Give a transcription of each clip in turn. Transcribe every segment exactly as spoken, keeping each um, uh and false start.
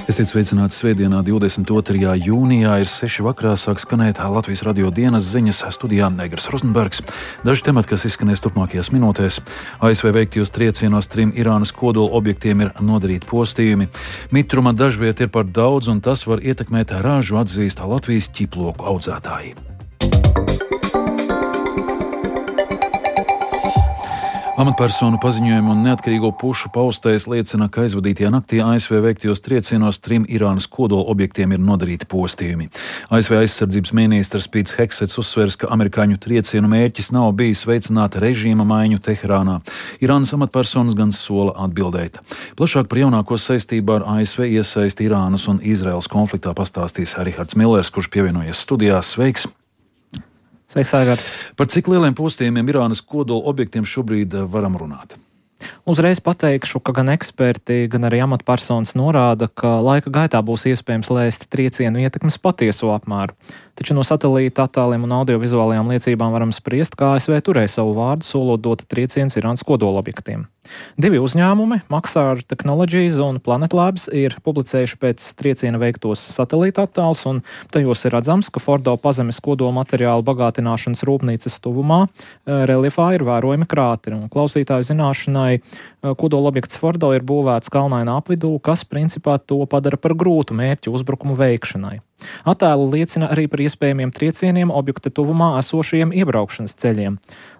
Esiet sveicināti svētdienā, divdesmit otrajā jūnijā, ir seši vakarā, sāk skanēt Latvijas radio dienas ziņas, studijā Negras Rozenbergs. Daži temati, kas izskanēs turpmākajās minūtēs. A S V veiktajos triecienos trim Irānas kodola objektiem ir nodarīti postījumi. Mitruma dažviet ir par daudz, un tas var ietekmēt ražu, atzīst Latvijas ķiploku audzētāji. Amatpersonu paziņojumu un neatkarīgo pušu paustais liecina, ka aizvadītajā naktī A S V veiktajos triecienos trim Irānas kodola objektiem ir nodarīti postījumi. A S V aizsardzības ministrs Pīts Heksets uzsvers, ka amerikāņu triecienu mērķis nav bijis veicināt režīma maiņu Teherānā. Irānas amatpersonas gan sola atbildēt. Plašāk par jaunāko saistībā ar A S V iesaisti Irānas un Izraēlas konfliktā pastāstīs Rihards Millers, kurš pievienojies studijā. Sveiks! Sveiks, Aigār! Par cik lieliem postījumiem Irānas kodola objektiem šobrīd varam runāt? Uzreiz pateikšu, ka gan eksperti, gan arī amatpersonas norāda, ka laika gaitā būs iespējams lēst triecienu ietekmes patieso apmēru. Taču no satelīta attēliem un audiovizuālajām liecībām varam spriest, ka A S V turēja savu vārdu, solot dot triecienus Irānas kodola objektiem. Divi uzņēmumi, Maxar Technologies un Planet Labs, ir publicējuši pēc trieciena veiktos satelīta attēlus, un tajos ir redzams, ka Fordo pazemes kodola materiālu bagātināšanas rūpnīcas tuvumā reliefā ir vērojami krāteri. Un klausītāju zināšanai, kodola objekts Fordo ir būvēts kalnainā apvidū, kas principā to padara par grūtu mērķu uzbrukumu veikšanai. Attēli liecina arī par iespējamiem triecieniem objekta tuvumā esošajiem iebraukšanas ceļiem.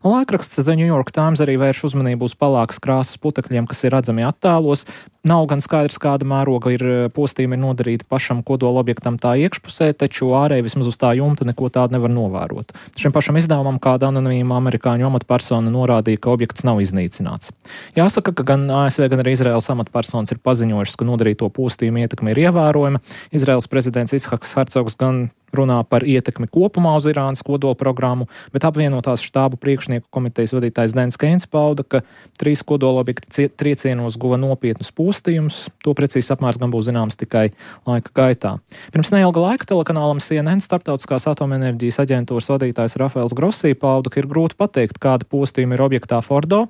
Laikraksts The New York Times arī vērš uzmanību uz pelēkas krāsas putekļiem, kas ir redzami attēlos. Nav gan skaidrs, kāda mēroga ir postījumi nodarīti pašam kodola objektam tā iekšpusē, taču ārēji vismaz uz tā jumta neko tādu nevar novērot. Šim pašam izdevumam kāda anonīma amerikāņu amatpersona norādīja, ka objekts nav iznīcināts. Jāsaka, ka gan A S V, gan arī Izraēlas amatpersonas ir paziņojušas, ka nodarīto postījumu ietekme ir ievērojama. Izraēlas prezidents Ishaks Hercogs gan runā par ietekmi kopumā uz Irānas kodola programmu, bet apvienotās štābu priekšnieku komitejas vadītājs Dens Keins pauda, ka trīs kodola objekti triecienos guva nopietnus postījumus. To precīzi apmērs gan būs zināms tikai laika gaitā. Pirms neilga laika telekanālam C N N Starptautiskās atomenerģijas aģentūras vadītājs Rafaels Grosī pauda, ka ir grūti pateikt, kāda postījuma ir objektā Fordo,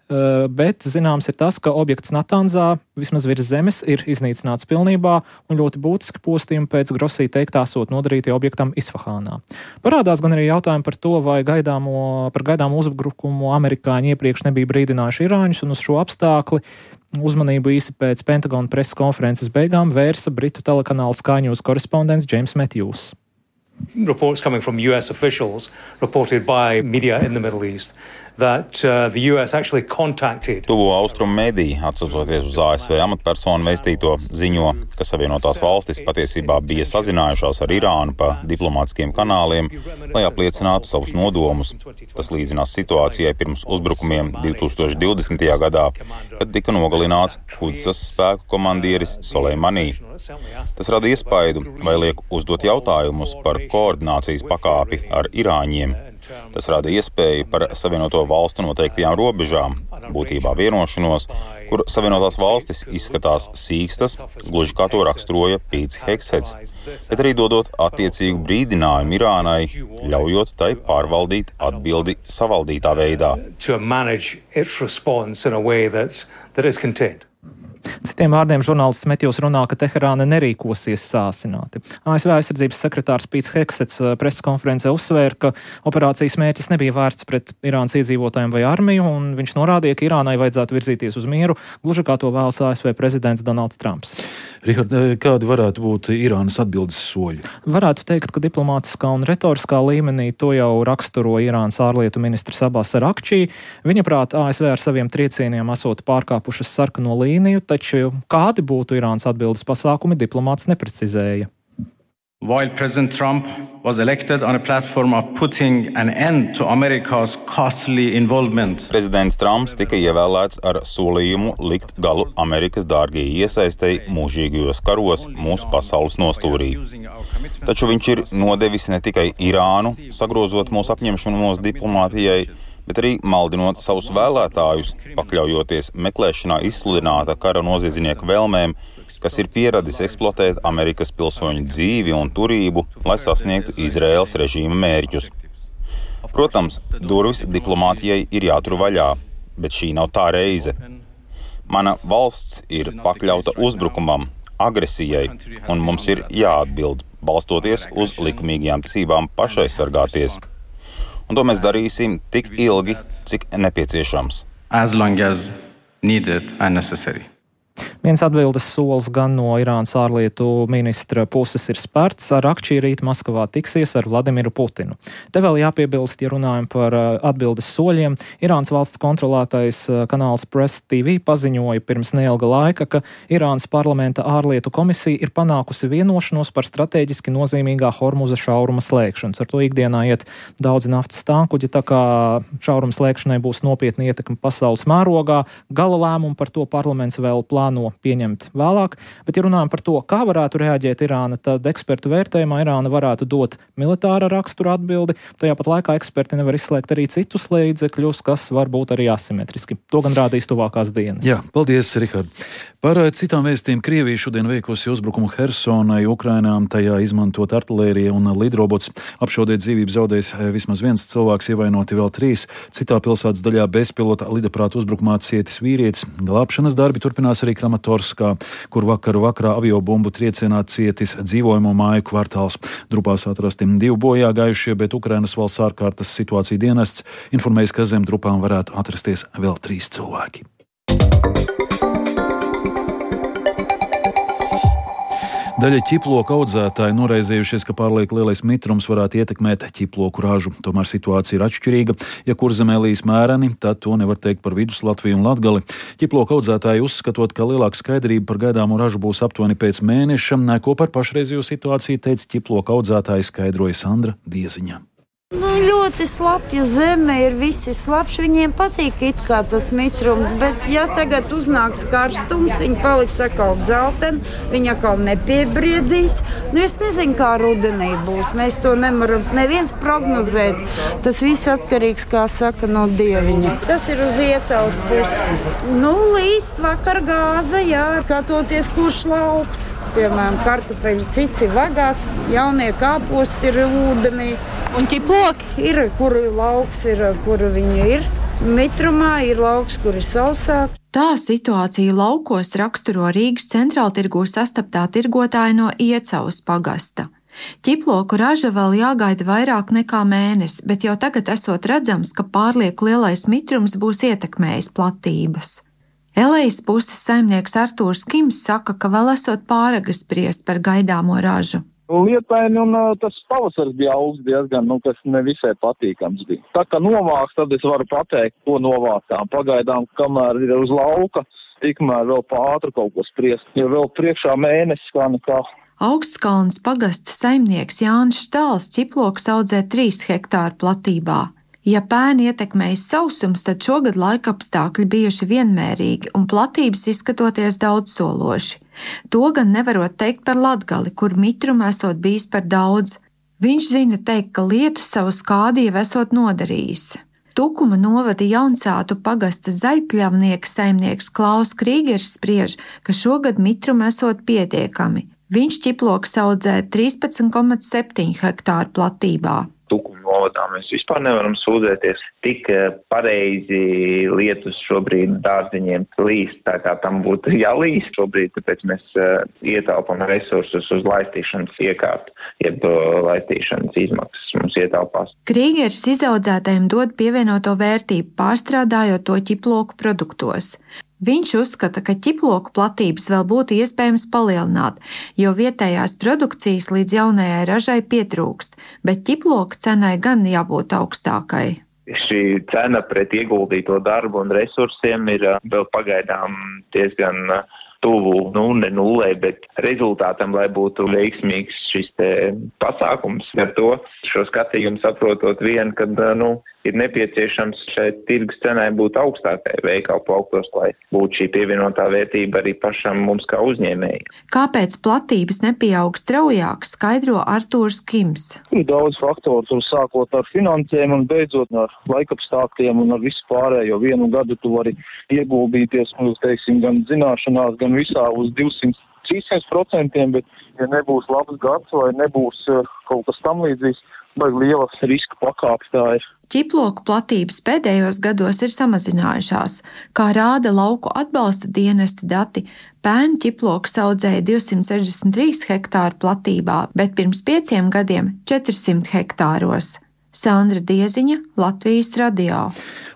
bet zināms ir tas, ka objekts Natanzā, vismaz virs zemes, ir iznīcināts pilnībā, un ļoti būtiski postījumi pēc Grosī teiktā esot nodarīti objektam Isfahānā. Parādās gan arī jautājumi par to, vai gaidāmo, par gaidāmo uzbrukumu amerikāņi iepriekš nebija brīdinājuši irāņus, un uz šo apstākli uzmanību īsi pēc Pentagona preses konferences beigām vērsa Britu telekanāla Sky News korespondents James Matthews. Reports coming from U S officials reported by media in the Middle East that uh, the U S actually contacted. Tuvo austrumu mediji, atsaucoties uz A S V amatpersonu vēstīto, ziņo, ka Savienotās valstis patiesībā bija sazinājušās ar Irānu pa diplomātiskiem kanāliem, lai apliecinātu savus nodomus. Tas līdzinās situācijai pirms uzbrukumiem divtūkstoš divdesmitajā gadā, kad tika nogalināts Kudsas spēku komandieris Soleimani. Tas rada iespaidu, vai liek uzdot jautājumus par koordinācijas pakāpi ar irāņiem. Tas rada iespēju par Savienoto valstu noteiktajām robežām, būtībā vienošanos, kur Savienotās valstis izskatās sīkstas, gluži kā to raksturoja Pīts Heksets, bet arī dodot attiecīgu brīdinājumu Irānai, ļaujot tai pārvaldīt atbildi savaldītā veidā. Citiem vārdiem žurnālists Metjūs runā, ka Teherāna nerīkosies sāsināti. A S V aizsardzības sekretārs Pīts Heksets preses konferencē uzsvēra, ka operācijas mērķis nebija vērsts pret Irānas iedzīvotājiem vai armiju, un viņš norādīja, ka Irānai vajadzētu virzīties uz mieru, gluži kā to vēlas A S V prezidents Donalds Trumps. Rihard, kādi varētu būt Irānas atbildes soļi? Varētu teikt, ka diplomātiskā un retoriskā līmenī to jau raksturo Irānas ārlietu ministrs Abbas Arakčī. Viņa prāt A S V ar saviem triecieniem esot pārkāpušas sarkano līniju, taču kādi būtu Irānas atbildes pasākumi, diplomāts neprecizēja. While President Trump was elected on a platform of putting an end to America's costly involvement. Prezidents Trumps tika ievēlēts ar solījumu likt galu Amerikas dārgajai iesaistei mūžīgajos karos mūsu pasaules nostūrī. Taču viņš ir nodevis ne tikai Irānu, sagrozot mūsu apņemšanos diplomātijai, bet arī maldinot savus vēlētājus, pakļaujoties meklēšanā izsludināta kara noziedznieku vēlmēm, kas ir pieradis eksploatēt Amerikas pilsoņu dzīvi un turību, lai sasniegtu Izraēlas režīma mērķus. Protams, durvis diplomātijai ir jātur vaļā, bet šī nav tā reize. Mana valsts ir pakļauta uzbrukumam, agresijai, un mums ir jāatbild, balstoties uz likumīgajām tiesībām pašaizsargāties. Un to mēs darīsim tik ilgi, cik nepieciešams. As long as needed and necessary. Viens atbildes solis gan no Irānas ārlietu ministra puses ir spērts. Ar Akčī rīt Maskavā tiksies ar Vladimiru Putinu. Te vēl jāpiebilst, ja runājam par atbildes soļiem. Irānas valsts kontrolētais kanāls Press T V paziņoja pirms neilga laika, ka Irānas parlamenta ārlietu komisija ir panākusi vienošanos par strateģiski nozīmīgā Hormuza šauruma slēgšanas. Ar to ikdienā iet daudzi naftas tankuģi, tā kā šauruma slēgšanai būs nopietna ietekme pasaules mērogā. Gala lēmumu par to parlaments vēl plāno pieņemt vēlāk, bet ja runājam par to, kā varētu reaģēt Irāna, tad ekspertu vērtējumā Irāna varētu dot militāra rakstura atbildi, tajā pat laikā eksperti nevar izslēgt arī citus līdzekļus, kas var būt arī asimetriski. To gan rādīs tuvākās dienas. Jā, paldies, Rihard. Par citām vēstījumiem Krievija šodien veikusi uzbrukumu Hersonai, Ukrainām, tajā izmantot artilēriju un lidrobots. Apšaudēt dzīvību zaudējis vismaz viens cilvēks, ievainoti vēl trīs. Citā pilsētas daļā bezpilota lidaprāta uzbrukumā cietis vīrietis. Glābšanas darbi turpinās arī Kramatorskā, kur vakaru vakarā aviobumbu triecienā cietis dzīvojamo māju kvartāls. Drupās atrasti divi bojā gājušie, bet Ukrainas valsts ārkārtas situācija dienests informējas, ka zem drupām varētu atrasties vēl trīs cilvēki. Daļa ķiploku audzētāji noraizējušies, ka pārliek lielais mitrums varētu ietekmēt ķiploku ražu. Tomēr situācija ir atšķirīga. Ja Kurzemē līs mēreni, tad to nevar teikt par Vidus Latviju un Latgali. Ķiploku audzētāji uzskatot, ka lielāka skaidrība par gaidāmo ražu būs aptuveni pēc mēneša. Ko par pašreizējo situāciju teica ķiploku audzētāji, skaidroja Sandra Dieziņa. Nu, ļoti slapja zeme ir, visi slapši, viņiem patīk it kā tas mitrums, bet ja tagad uznāks karstums, viņi paliks atkal dzelteni, viņi atkal nepiebriedīs. Nu, es nezinu, kā rudenī būs, mēs to nevaram neviens prognozēt. Tas viss atkarīgs, kā saka, no dieviņa. Tas ir uz Iecavas pusi. Nu, līst vakar gāza, jā, skatoties, kurš lauks. Piemēram, kartupeļi cits ir vagās, jaunie kāposti ir ūdenī. Un ķiploki? Ir, kur lauks ir, kur viņi ir. Mitrumā ir lauks, kur ir sausāk. Tā situācija laukos raksturo Rīgas centrāltirgū sastaptā tirgotāja no Iecavas pagasta. Ķiploku raža vēl jāgaida vairāk nekā mēnesi, bet jau tagad esot redzams, ka pārlieku lielais mitrums būs ietekmējis platības. Elejas puses saimnieks Artūrs Kims saka, ka vēl esot pāragri spriest par gaidāmo ražu. Lietaini un uh, tas pavasars bija augsts diezgan, nu, kas nevisai patīkams bija. Tā kā novāks, tad es varu pateikt, ko novākām. Pagaidām, kamēr ir uz lauka, tikmēr vēl pātru kaut ko spriest, jo vēl priekšā mēnesis kā nekā. Augstkalnas pagasta saimnieks Jānis Štāls ķiplokus audzē trīs hektāru platībā. Ja pēni ietekmējas sausums, tad šogad laikapstākļi bijuši vienmērīgi un platības izskatoties daudzsološi. To gan nevarot teikt par Latgali, kur mitruma esot bijis par daudz. Viņš zina teikt, ka lietus savu skādi jau esot nodarījis. Tukuma novada Jaunsātu pagasta zaļpļavnieka saimnieks Klaus Krīgers spriež, ka šogad mitruma esot pietiekami. Viņš ķiplokus audzē trīspadsmit komats septiņi hektāru platībā. Tukuma novadā mēs vispār nevaram sūdzēties. Tik pareizi lietus šobrīd dārziņiem līst, tā kā tam būtu jālīst šobrīd, tāpēc mēs uh, ietaupam resursus uz laistīšanas iekārtu, jeb uh, laistīšanas izmaksas mums ietaupās. Krīgers izaudzētājiem dod pievienoto vērtību, pārstrādājot to ķiploku produktos. Viņš uzskata, ka ķiploku platības vēl būtu iespējams palielināt, jo vietējās produkcijas līdz jaunajai ražai pietrūkst, bet ķiploku cenai gan jābūt augstākai. Šī cena pret ieguldīto darbu un resursiem ir vēl pagaidām diezgan tuvu, nu, ne nulē, bet rezultātam, lai būtu veiksmīgs šis te pasākums. Ar to šo skatījumu saprotot vien, kad, nu, ir nepieciešams šeit tirgus cenai būt augstākai veikalu plauktos, lai būtu šī pievienotā vērtība arī pašam mums kā uzņēmēji. Kāpēc platības nepieaug straujāk, skaidro Artūrs Kims. Ir daudz faktoru, tur sākot ar finansēm un beidzot ar laikapstākļiem un ar visu pārējo. Vienu gadu tu vari ieguldīties, mums, teiksim, gan zināšanās, gan visā uz divsimt trīsimt procentiem, bet ja nebūs labs gads vai nebūs kaut kas tam līdzīgs, baigi lielas riska pakāpes tā ir. Ķiploku platības pēdējos gados ir samazinājušās, kā rāda lauku atbalsta dienesta dati. Pērn ķiploks audzēja divsimt sešdesmit trīs hektāru platībā, bet pirms pieciem gadiem četrsimt hektāros. Sandra Dieziņa, Latvijas radio.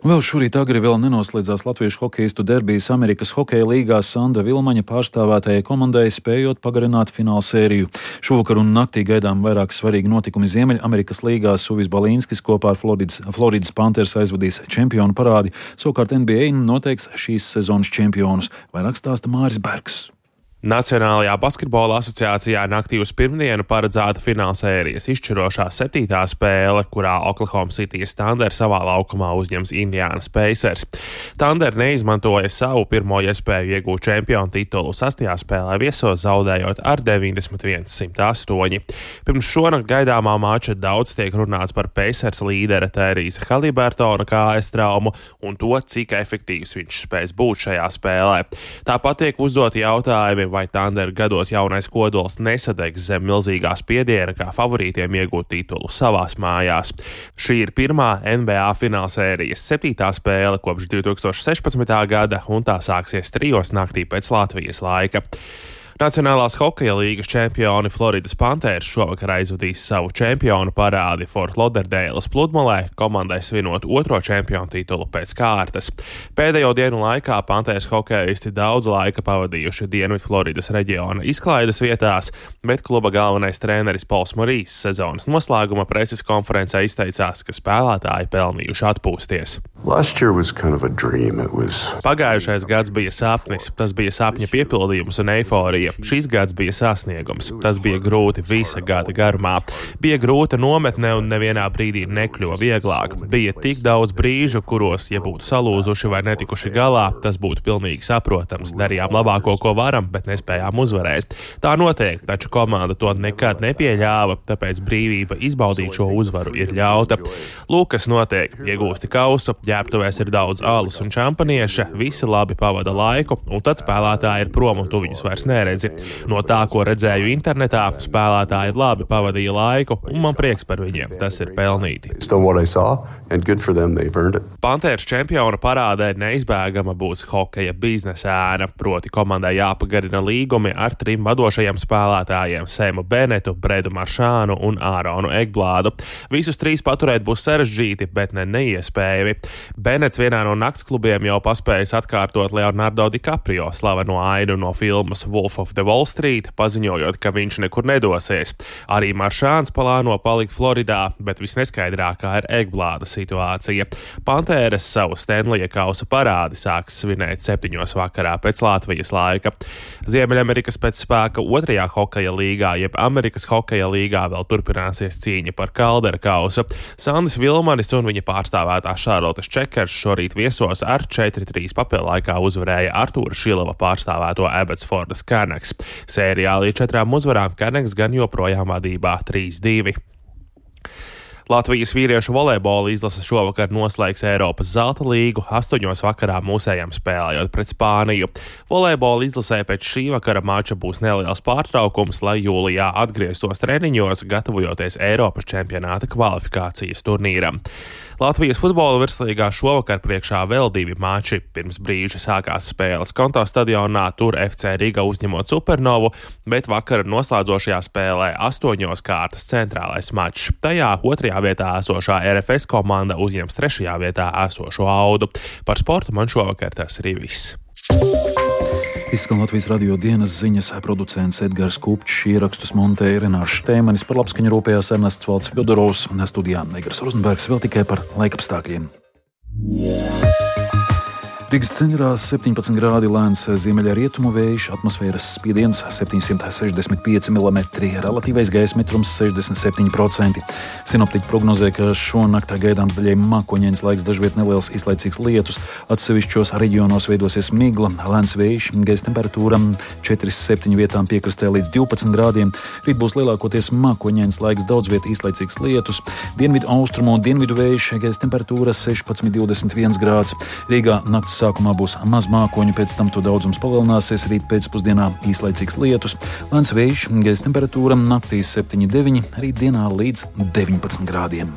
Vēl šorīt agri vēl nenoslēdzās latviešu hokeistu derbijas Amerikas hokeja līgā Sanda Vilmaņa pārstāvētajai komandai, spējot pagarināt fināla sēriju. Šovakar un naktī gaidām vairāk svarīgi notikumi Ziemeļamerikas līgā. Suvis Balīnskis kopā ar Floridas, Floridas Panthers aizvadīs čempionu parādi, savukārt N B A noteiks šīs sezonas čempionus. Vairāk stāsta Māris Bergs. Nacionālajā basketbola asociācijā naktī uz pirmdienu paredzēta fināla sērijas izšķirošā septītā spēle, kurā Oklahoma City Thunder savā laukumā uzņems Indiana Pacers. Thunder neizmantoja savu pirmo iespēju iegūt čempionu titulu sastajā spēlē viesos, zaudējot ar deviņdesmit viens simt astoņi. Pirms šonakt gaidāmā mača daudz tiek runāts par Pacers līdera Tērīsa Halibertona kājas traumu un to, cik efektīvs viņš spēs būt šajā spēlē. Tāpat tiek uzdoti jautājumi, vai Thunder gados jaunais kodols nesadegs zem milzīgā spiediena, kā favorītiem iegūt titulu savās mājās. Šī ir pirmā N B A fināla sērijas septītā spēle kopš divi tūkstoši sešpadsmitā gada, un tā sāksies trijos naktī pēc Latvijas laika. Nacionālās hokeja līgas čempioni Floridas Panthers šovakar aizvadīs savu čempionu parādi Fort Lauderdales pludmalē, komandai svinot otro čempionu titulu pēc kārtas. Pēdējo dienu laikā Panthers hokeisti daudz laika pavadījuši Dienvidu Floridas reģiona izklaides vietās, bet kluba galvenais treneris Pols Morīs sezonas noslēguma preses konferencē izteicās, ka spēlētāji pelnījuši atpūsties. Kind of was... Pagājušais gads bija sapnis, tas bija sapņa piepildījums un eiforija. Šis gads bija sasniegums. Tas bija grūti visa gada garumā. Bija grūta nometne un nevienā brīdī nekļuva vieglāk. Bija tik daudz brīžu, kuros, ja būtu salūzuši vai netikuši galā, tas būtu pilnīgi saprotams. Darījām labāko, ko varam, bet nespējām uzvarēt. Tā notiek, taču komanda to nekad nepieļāva, tāpēc brīvība izbaudīt šo uzvaru ir ļauta. Lūk, kas notiek. Iegūsti kausu, ģērbtuvēs ir daudz alus un čampanieša, visi labi pavada laiku, un tad spēlētāji ir prom un tu viņus vairs neredzi. No tā, ko redzēju internetā, spēlētāji labi pavadīja laiku, un man prieks par viņiem. Tas ir pelnīti. Panthers čempiona parādē neizbēgama būs hokeja biznesa ēna, proti komandai jāpagarina līgumi ar trim vadošajiem spēlētājiem - Semu Benetu, Bredu Maršānu un Āronu Egblādu. Visus trīs paturēt būs sarežģīti, bet ne neiespējami. Benets vienā no naktsklubiem jau paspējis atkārtot Leonardo DiCaprio slaveno ainu no filmas Wolf of the Wall Street, paziņojot, ka viņš nekur nedosies. Arī Maršāns plāno palikt Floridā, bet visneskaidrākā ir Egblāda situācija. Panthers savu Stanleya kausa parādi sāks svinēt septiņos vakarā pēc Latvijas laika. Ziemeļamerikas pēcspēka otrajā hokeja līgā, jeb Amerikas hokeja līgā, vēl turpināsies cīņa par Kaldera kausu. Sandis Vilmanis un viņa pārstāvētā Šarlotes Čekers šorīt viesos ar četri trīs papildienlaikā uzvarēja Artūra Šilava pārstāvēto Abbotsfordas Canucks. Sērijā līdz četrām uzvarām Canucks gan joprojām vadībā trīs divi. Latvijas vīriešu volejbola izlase šovakar noslēgs Eiropas zelta līgu, astoņos vakarā mūsējām spēlējot pret Spāniju. Volejbola izlasē pēc šī vakara mača būs neliels pārtraukums, lai jūlijā atgrieztos treniņos, gatavojoties Eiropas čempionāta kvalifikācijas turnīram. Latvijas futbola virslīgā šovakar priekšā vēl divi mači. Pirms brīža sākās spēles Konto stadionā, tur F C Riga uzņemot Supernovu, bet vakara noslēdzošajā spēlē astoņos kārtas centrālais mačs. Tajā otrajā vietā esošā R F S komanda uzņems trešajā vietā esošo Audu. Par sportu man šovakar tas arī viss. Izskan Latvijas radio dienas ziņas, producents Edgars Kupčs, ierakstus montēja Renārs Štēmanis, par labskaņu rūpējās Ernests Valds Fjodorovs, studijā Negras Rozenbergs, vēl tikai par laikapstākļiem. Rīgas centrā septiņpadsmit grādi, lēns ziemeļa rietumu vējš, atmosfēras spiediens septiņsimt sešdesmit pieci milimetri, relatīvais gaisa mitrums sešdesmit septiņi procenti. Sinoptiķi prognozē, ka šonakt gaidāms daļai mākoņains laiks, dažviet neliels īslaicīgs lietus, atsevišķos reģionos veidosies migla, lēns vējš, gaisa temperatūra četri septiņi vietām piekrastē līdz divpadsmit grādiem. Rīt būs lielākoties mākoņains laiks, daudz viet īslaicīgs lietus, dienvidu austrumu un dienvidu vējš, gaisa temperatūra sešpadsmit divdesmit viens grāds. Rīgā nakts sākumā būs maz mākoņu, pēc tam to daudzums palielināsies, rīt pēcpusdienā īslaicīgs lietus, lēns vējš, gaisa temperatūra naktīs septiņi deviņi, rīt dienā līdz deviņpadsmit grādiem.